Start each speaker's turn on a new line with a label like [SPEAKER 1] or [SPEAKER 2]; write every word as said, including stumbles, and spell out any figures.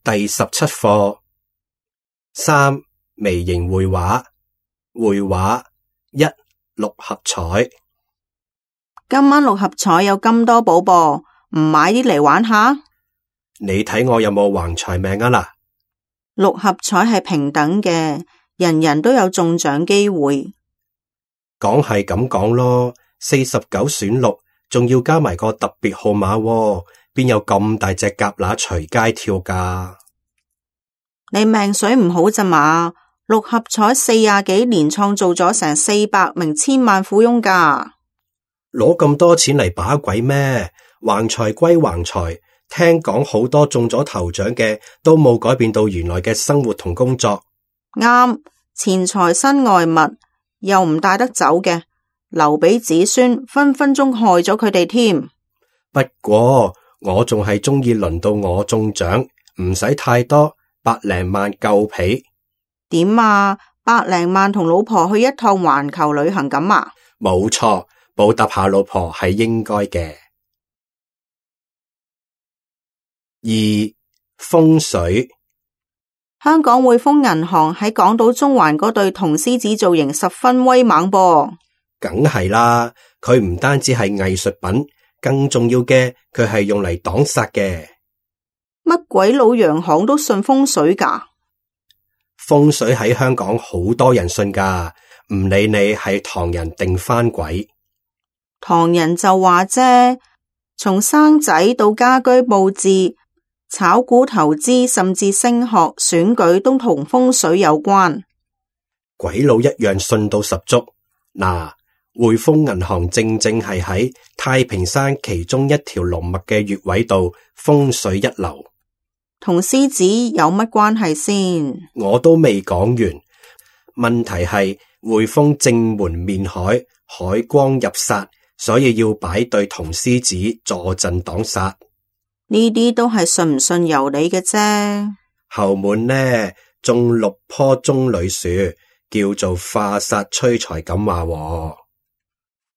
[SPEAKER 1] 第十七課三微型繪畫。繪畫一六合彩。
[SPEAKER 2] 今晚六合彩有金多寶噃，唔買啲嚟玩下？
[SPEAKER 1] 你睇我有冇橫財命啊嗱？
[SPEAKER 2] 六合彩係平等嘅，人人都有中獎機會。
[SPEAKER 1] 講係咁講咯，四十九選六，仲要加埋個特別號碼喎，邊有咁大隻蛤乸隨街跳㗎？
[SPEAKER 2] 你命水唔好咋嘛？六合彩四廿幾年創造咗成四百名千萬富翁㗎。
[SPEAKER 1] 攞咁多錢嚟把鬼咩？橫財歸橫財，聽講好多中咗頭獎嘅都冇改變到原來嘅生活同工作。
[SPEAKER 2] 啱，錢財身外物，又唔帶得走嘅，留俾子孫，分分鐘害咗佢哋添。
[SPEAKER 1] 不過我仲係鍾意輪到我中獎，唔使太多，百零萬夠皮。
[SPEAKER 2] 點啊？百零萬同老婆去一趟環球旅行咁啊？
[SPEAKER 1] 冇錯，報答下老婆係應該嘅。二風水。
[SPEAKER 2] 香港匯豐銀行喺港島中環嗰對銅獅子造型十分威猛噃。
[SPEAKER 1] 梗係啦，佢唔單止係藝術品，更重要嘅佢係用嚟擋煞嘅。
[SPEAKER 2] 乜鬼老洋行都信風水㗎？
[SPEAKER 1] 風水喺香港好多人信㗎，唔理你係唐人定番鬼。
[SPEAKER 2] 唐人就話啫，從生仔到家居佈置、炒股投資，甚至升學、選舉都同風水有關。
[SPEAKER 1] 鬼佬一樣信到十足。嗱，匯豐銀行正正係喺太平山其中一條龍脈嘅穴位度，風水一流。
[SPEAKER 2] 同獅子有乜關係先？
[SPEAKER 1] 我都未講完。問題係匯豐正門面海，海光入煞，所以要擺對銅獅子坐鎮擋煞。
[SPEAKER 2] 呢啲都係信唔信由你嘅啫。
[SPEAKER 1] 後門呢，種六棵棕櫚樹，叫做化煞催財咁話喎。